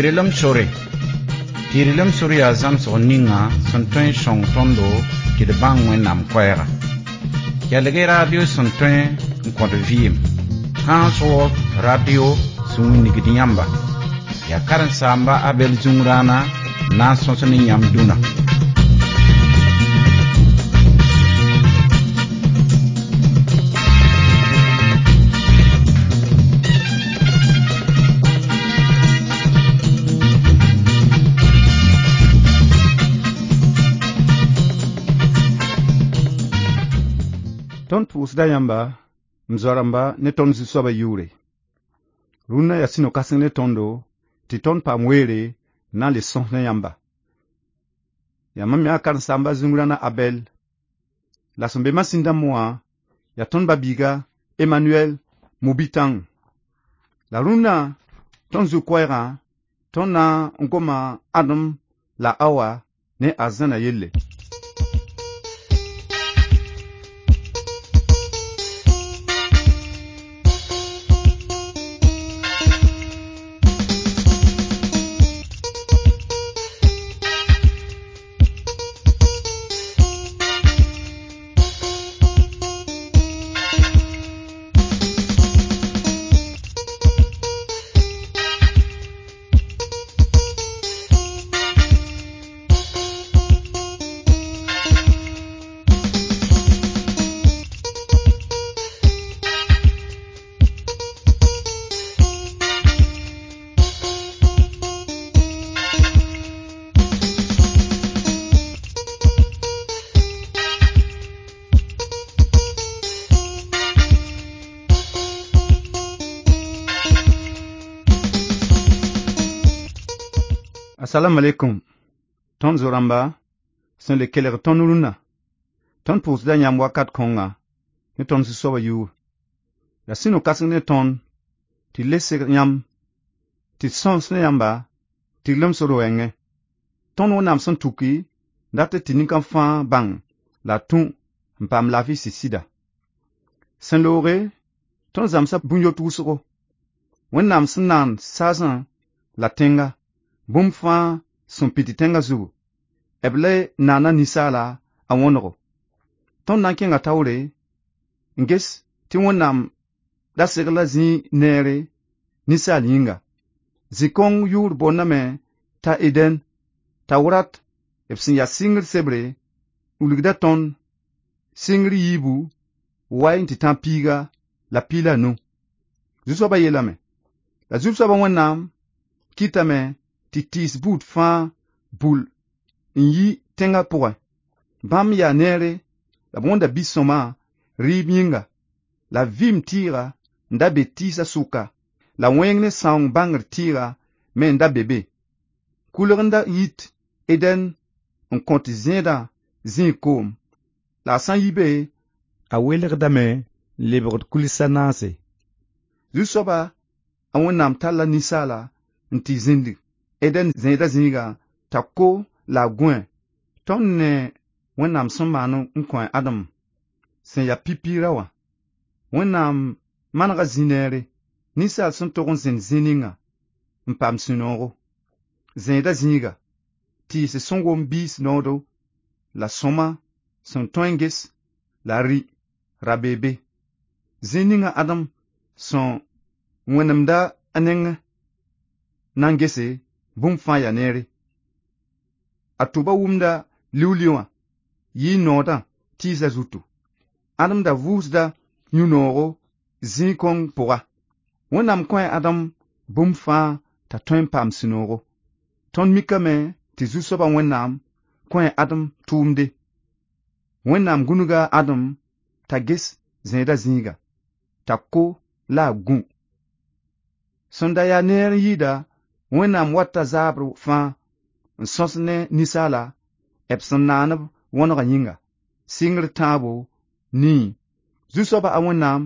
Tɩrlem sore. Tɩrlem sore yaa zãmsg ninga sẽn tõe n sõng tõndo tɩ d bãng Wẽnnaam koɛɛga. Kelg-y radio sẽn tõe n kõt vɩɩm. Trans World Radio sẽn wilgd yãmba. Yaa karen-saamba Abɛl Zũngrãana n na n sõs ne yãmb dũnã. Tõnd pʋʋsda yãmba, m zoa-rãmba ne tõnd Zu-soabã yʋʋre. Rũnnã yaa sũ-no-kãseng ne tõndo tɩ tõnd paam weere n na n le sõs ne yãmba. Yaa mam yaa karen-saamba Zũngrãna Abɛl. La sẽn be masĩn dãmb wã yaa tõnd ba-biiga Emmanuel Mubitãng. La rũnnã tõnd zu-koɛɛgã tõnd na n goma Adem la Awa ne arzãna yelle. Assalamu alaikum. Tõnd zo-rãmba sẽn le kelg tõnd rũnnã. Tõnd pʋʋsda yãmb wakat kõnga ne tõnd Zu-soabã yʋʋr. La sũ-no-kãseng ne tõnd tɩ le seg yãmb tɩ sõs ne yãmba tɩrlem sor wɛɛngẽ. Tõnd Wẽnnaam sẽn tuki dat tɩ nin-kãng fãa bãng la tũ n paam laafɩ sɩd-sɩda. Sẽn looge, tõnd zãmsa bũn-yot wʋsgo. Wẽnnaam sẽn naan saasã la tẽnga, bũmb fãa sẽn pid tẽngã zugu, b le naana ninsaala a wõnego. Tõnd na n kẽnga taoore n ges tɩ Wẽnnaam da segla zĩig neere ninsaal yĩnga. Zĩ-kõng yʋʋr boondame t'a Eden, tawrat b sẽn yaa sɩngr sebre wilgda tõnd sɩngr yiibu wai n tɩ tã piiga la piig la nu. Zu-soabã yeelame, la Zu-soabã Wẽnnaam kɩtame tɩ tɩɩs buud fãa bul n yi tẽngã pʋgẽ. Bãmb yaa neere la b wõnda bi-sõma rɩɩb yĩnga, la vɩɩm tɩɩga n da be tɩɩsã sʋka, la wẽng ne sãoong bãngr tɩɩga me n da be be. Kʋlg n da yit Eden n kõt zẽedã zĩig koom, la a sã n yi be, a welgdame n lebgd kulsã naase. Zu-soaba a Wẽnnaam talla ninsaala n tɩ zĩnd Eden zẽedã zĩiga t'a ko la a gũe. Tõnd ne Wẽnnaam sẽn maan n kõ Adem sẽn yaa pipi ra wã. Wẽnnaam manega zĩ-neere, ninsaal sẽn tog n zẽnd zĩ ninga n paam sũ-noogo. Zẽedã zĩiga, tɩɩs sẽn wom biis noodo la sõma sẽn tõe n ges la rɩ ra bee be. Zĩ ninga Adem sẽn wẽnemda a nengẽ na n gese bũmb fãa yaa neere. A tʋba wʋmda liu-liu wã yɩ noodã tɩɩsã zutu. Adem da vʋʋsda yũ-noogo zĩig kõng pʋga. Wẽnnaam kõ a Adem bũmb fãa t'a tõe n paam sũ-noogo. Tõnd mikame tɩ Zu-soabã Wẽnnaam kõ a Adem tʋʋmde. Wẽnnaam gũnuga Adem t'a ges zẽedã zĩiga, t'a ko la a gũ. Sẽn da yaa neer n yɩɩda, Wẽnnaam wata zaabr fãa n sõs ne ninsaala b sẽn naan-b wõnegã yĩnga, sɩngr tãabo nii. Zu-soabã a Wẽnnaam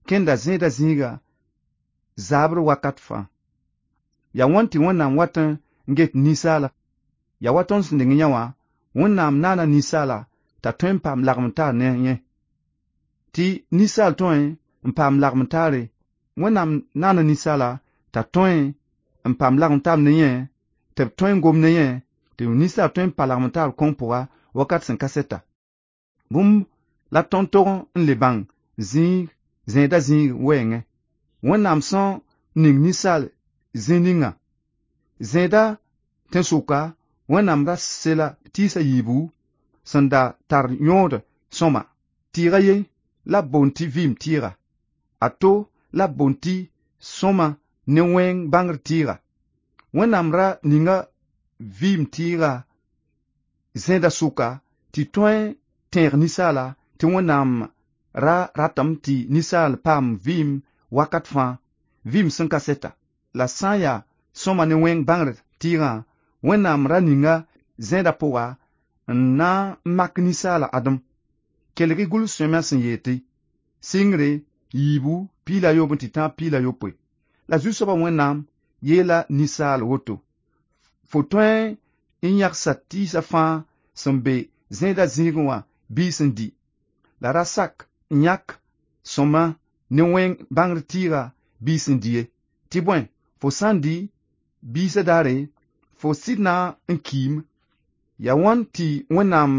kẽnda zẽedã zĩiga zaabr wakat fãa. Yaa wãn tɩ Wẽnnaam wat n get ninsaala? Yaa wa tõnd sẽn deng yã wã, Wẽnnaam naana ninsaala t'a tõe n paam lagem-taar ne yẽ. Tɩ ninsaal tõe n paam lagem-taare, Wẽnnaam naana ninsaala t'a tõe n paam lagem taab ne yẽ, tɩ b tõe n gom ne yẽ, tɩ ninsaal tõe n pa lagem taab kõng pʋga wakat sẽn ka sɛta. Bũmb la tõnd tog n le bãng zĩig zẽeda zĩig wɛɛngẽ. Wẽnnaam sẽn ning ninsaal zĩ ninga. Zẽeda tẽn-sʋka Wẽnnaam ra sela tɩɩs a yiibu sẽn da tar yõod sõma. Tɩɩga ye la b boond tɩ vɩɩm tɩɩga, a to la b boond tɩ sõma ne wẽng bãngr tɩɩga. Wẽnnaam ra ninga vɩɩm tɩɩga zẽeda sʋka tɩ tõe tẽeg ninsaala tɩ Wẽnnaam ra ratame tɩ ninsaal paam vɩɩm wakat fãa, vɩɩm sẽn ka sɛta. La sã n yaa sõma ne wẽng bãngr tɩɩgã, Wẽnnaam ra ninga zẽeda pʋga n na n mak ninsaala Adem. Kelg-y gʋls-sõamyã sẽn yeel tɩ sɩngre yiibu piig la a yooob n tɩ tãab piig la yopoe. La Zu-soabã Wẽnnaam yeela ninsaal woto: fo tõe n yãgsa tɩɩsã fãa sẽn be zẽedã zĩigẽ wã biis n dɩ, la ra sak n yãk sõma ne wẽng bãngr tɩɩga biis n dɩ ye. Tɩ bõe, fo sã n dɩ biisã daare, fo sɩd na n kiime. Yaa wãn tɩ Wẽnnaam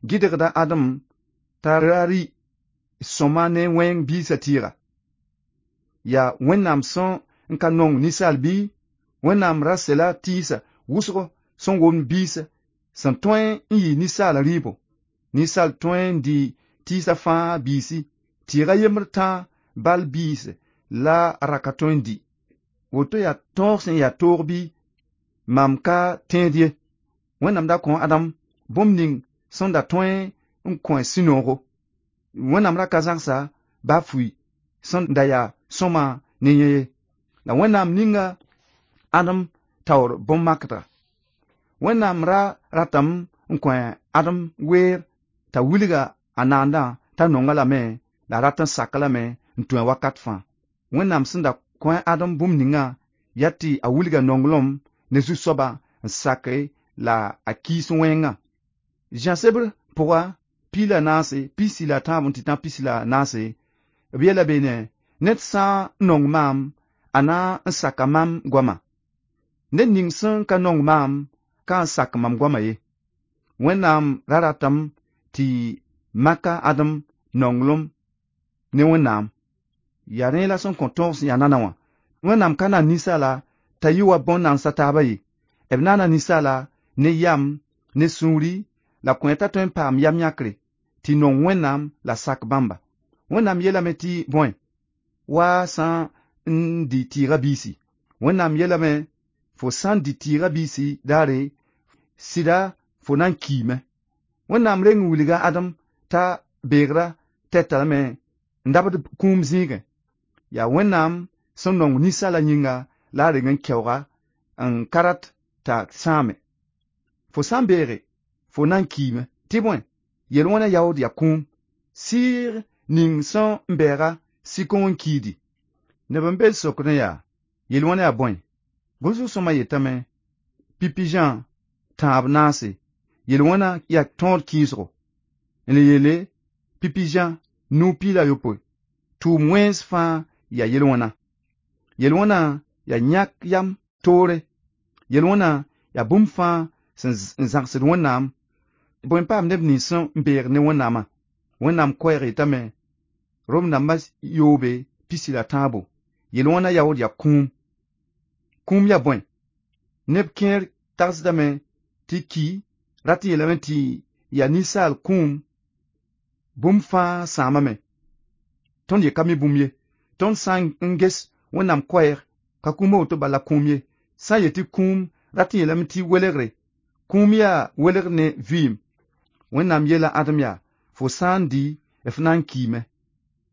gɩdgda Adem t'a ra rɩ sõma ne wẽng biisã tɩɩga? Yaa Wẽnnaam sẽn n ka nong ninsaal bɩ? Wẽnnaam ra sela tɩɩsã wʋsgo sẽn womd biisã sẽn tõe n yɩ ninsaala rɩɩbo. Ninsaal tõe n dɩ tɩɩsã fãa biisi, tɩɩga yembr tãa bal biis la a ra ka tõe n dɩ. Woto yaa tõog sẽn yaa toog bɩ? Mam ka tẽed ye. Wẽnnaam da kõ Adam bũmb ning sẽn da tõe n kõ sũ-noogo. Wẽnnaam ra ka zãgsa baa fui sẽn da yaa sõma ne yẽ ye. La Wẽnnaam ninga Adem taoor bõn-makdga. Wẽnnaam ra ratame n kõ Adem weer t'a wilga a naandã t'a nonga lame la a rat n sak lame n tũ a wakat fãa. Wẽnnaam sẽn da kõ Adem bũmb ningã yaa tɩ a wilga nonglem ne Zu-soabã n sake la a kiis wẽngã. Zã-sebr pʋga piig la naase, pisi la tãab n tɩ tã pisi la naase, b yeela beene, ned sã n nong maam, a na n saka mam goama. Ned ning sẽn ka nong maam, ka n sak mam goama ye. Wẽnnaam ra ratame tɩ maka Adem nonglem ne Wẽnnaam. Yaa rẽ la sẽn kõ tõog sẽn yaa nana wã. Wẽnnaam ka na ninsaala t'a yɩ wa bõn-nansã taabã ye. B naana ninsaala ne yam, ne sũuri, la kõ t'a tõe n paam yam yãkre, tɩ nong Wẽnnaam la sak bãmba. Wẽnnaam yeelame tɩ bõe, wa sã n dɩ tɩɩga biisi. Wẽnnaam yeelame, fo sã n dɩ tɩɩga biisi daare, sɩda fo na n kiime. Wẽnnaam reng n wilga Adem t'a beegra tɛta lame n dabd kũum zĩigẽ. Yaa Wẽnnaam sẽn nong ninsaala yĩnga la a reng n kɛooga n ka rat t'a sãame. Fo sã n beege, fo na n kiime. Tɩ bõe, yel-wẽnã yaood yaa kũum. Sɩɩg ning sẽn n bɛɛga sɩ-kõng n kiidi. Neb n be n sokdẽ yaa, yel-wẽnã yaa bõe? Gʋlsg sõma yetame, pipi Zã tãab naase, yel-wẽnã yaa tõod kɩɩsgo. N le yeele, pipi Zã nuu piig la yopoe, tʋʋm wẽns fãa yaa yel-wẽna. Yel-wẽnã yaa yãk yam toore. Yel-wẽnã yaa bũmb fãa sẽn zãgsd Wẽnnaam. Bõe n paam neb nins sẽn beeg ne Wẽnnaamã? Wẽnnaam koɛɛg yetame, Rom dãmbã yoobe pisi la tãabo, yel-wẽnã yaood yaa kũum. Kũum yaa bõe? Neb kẽer tagsdame tɩ ki rat n yeelame tɩ yaa ninsaal kũum bũmb fãa sãamame. Tõnd ye ka mi bũmb ye. Tõnd sã n ges Wẽnnaam koɛɛg ka kũum a woto bala kũum ye. Sã n yet tɩ kũum rat n yeelame tɩ welgre. Kũum yaa welgr ne vɩɩm. Wẽnnaam yeela Adem yaa, fo sã n dɩ, f na n kiime.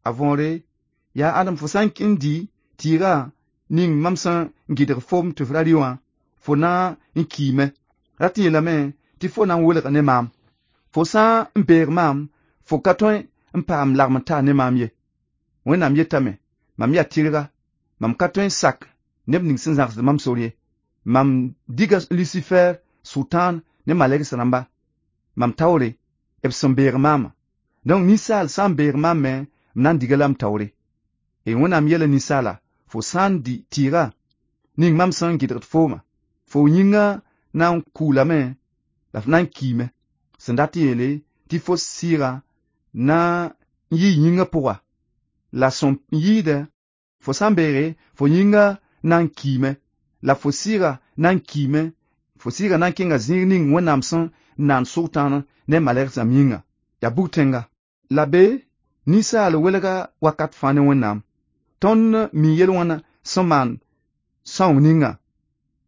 A võore, yaa Adem fo sã n dɩ tɩɩgã ning mam sẽn gɩdg foom tɩ f ra rɩ wã, fo na n kiime. Rat n yeelame tɩ fo na n welg ne maam. Fo sã n beeg maam, fo ka tõe n paam lagem n taa ne maam ye. Wẽnnaam yetame, mam yaa tɩrga, mam ka tõe n sak neb ning sẽn zãgsd mam sor ye. Mam diga Lusifer, Sʋtãan ne malɛgs rãmba, mam taoore, b sẽn beeg maamã. Donc ninsaal sã n beeg maam me, m na n diga la m taoore. E Wẽnnaam yeela ninsaala, fo sã n dɩ tɩɩga ning mam sẽn gɩdgd fooma. Fo yĩngã na n kuulame la f na n kiime. Sẽn dat n yeele tɩ fo sɩɩga na n yɩ yĩngã pʋga. La sẽn yɩɩdɛ fo sã n beege fo yĩngã na n kiime la fo sɩɩga na n kiime, fo sɩɩga na n kẽnga zĩig ning Wẽnnaam sẽn naan sʋgtãan ne malɛgs rãmb yĩnga. Yaa bug-tẽnga. La be ninsaal welga wakat fãa ne Wẽnnaam. Tõnd mi yel-wãna sẽn maan sãoong ninga.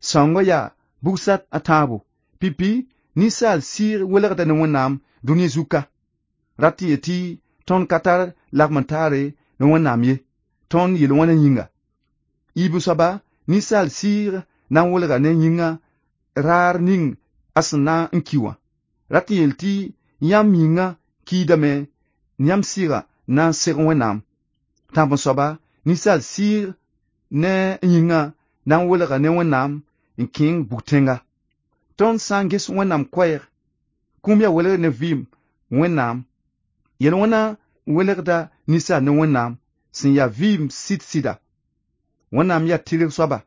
Sãoongã yaa bugsat a tãabo. Pipi ninsaal sɩɩg welgda ne Wẽnnaam dũni zuka. Rat n yetɩ tõnd ka tar lagm n taare ne Wẽnnaam ye, tõnd yel-wẽna yĩnga. Yiib soaba ninsaal sɩɩg na n welga ne yĩngã raar ning a sẽn na n ki wã. Rat n yeel tɩ yãmb yĩngã kiidame, yãmb sɩɩga na n seg Wẽnnaam. Tãb n soaba ninsaal sɩɩg ne yĩngã na n welga ne Wẽnnaam n kẽng bug-tẽnga. Tõnd sã n ges Wẽnnaam koɛɛg, kũum yaa welgr ne vɩɩm Wẽnnaam. Yel-wẽna welgda ninsaal ne Wẽnnaam sẽn yaa vɩɩm sɩd-sɩda. Wẽnnaam yaa tɩrg soaba,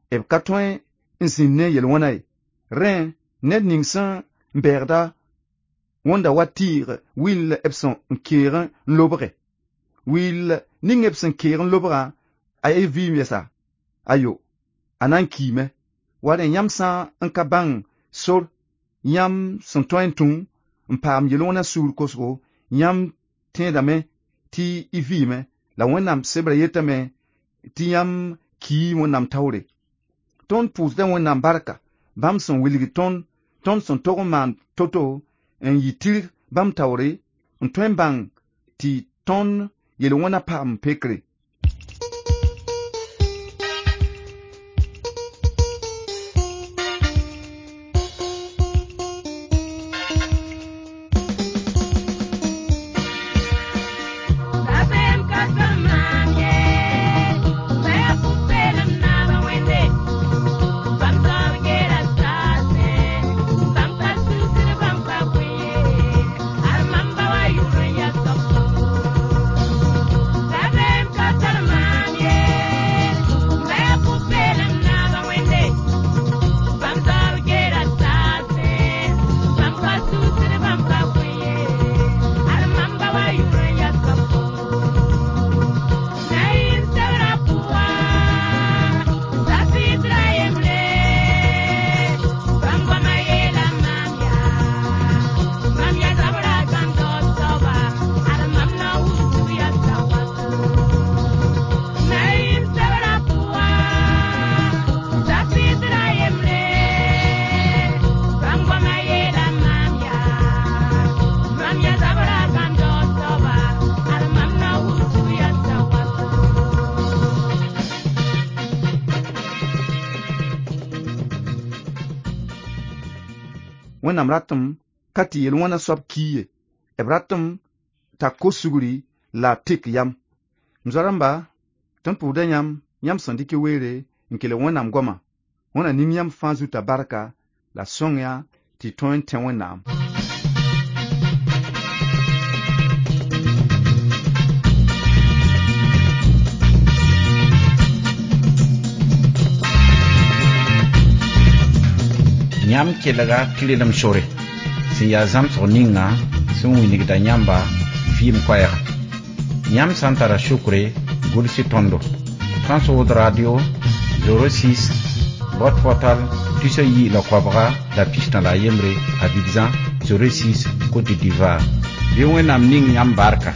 b ka tõe n zĩnd ne yel-wẽna ye. Rẽ, ned ning sẽn bɛɛgda wõnda wa tɩɩg will b sẽn keeg n lobge. Will ning b sẽn keeg n lobgã, a ye vɩɩm yɛsa? Ayo, a na n kiime. Wa rẽ yãmb sã n ka bãng sor yãmb sẽn tõe n tũ n paam yel-wẽna sugr kosgo, yãmb tẽedame tɩ y vɩɩme, la Wẽnnaam sebrã yetame tɩ yãmb kii Wẽnnaam taoore. Tõnd pʋʋsda Wẽnnaam barka, bãmb sẽn wilg tõnd, tõnd sẽn tog n maan to-to n yɩ tɩrg bãmb taoore, n tõe n bãng tɩ tõnd yel-wẽna paam pekre. Dabeem ka tar maam ye, bɩ pʋ-peelem naab Wẽnde. Bãmb zaoor geela saasẽ, bãmb ka susd, bãmb ka kõ ye, al mam ba wa yʋʋr n yaa soab. Dabeem ka tar maam ye, bɩ pʋ-peelem naab Wẽnde. Bãmb zaoor geela saasẽ, bãmb ka susd, bãmb ka kõ ye, al mam ba wa yʋʋr n yaa soab. Naim sebra pʋga, safɩdra yembre, bãmb goamã yeela maam yaa, mam yaa zabra gãndoo soaba, ad mam na wʋsg yaa sawato. Naim sebra pʋga, safɩdra yembre, bãmb goamã yeela maam yaa, mam yaa zabra gãndoo soaba, ad mam na wʋsg yaa sawato. Wẽnnaam ratame ka tɩ yel-wẽna soab kii ye, b ratame t'a kos sugri la a tek yam. M zoa-rãmba, tõnd pʋʋsda yãmb, yãmb sẽn dɩk y weere n kelg Wẽnnaam goama. Wẽnna ning yãmb fãa zuta barka la sõng-yã tɩ y tõe n tẽ Wẽnnaam. Yãmb kelga tɩrlem sore sẽn yaa zãmsg ninga sẽn wilgda yãmba vɩɩm koɛɛga. Yãmb sã n tara sukre, gʋls-y tõndo. Trans-World Radio 06 boîte postale 219 Abidjan 06 Côte d'Ivoire. Bɩ Wẽnnaam ning yãmb barka.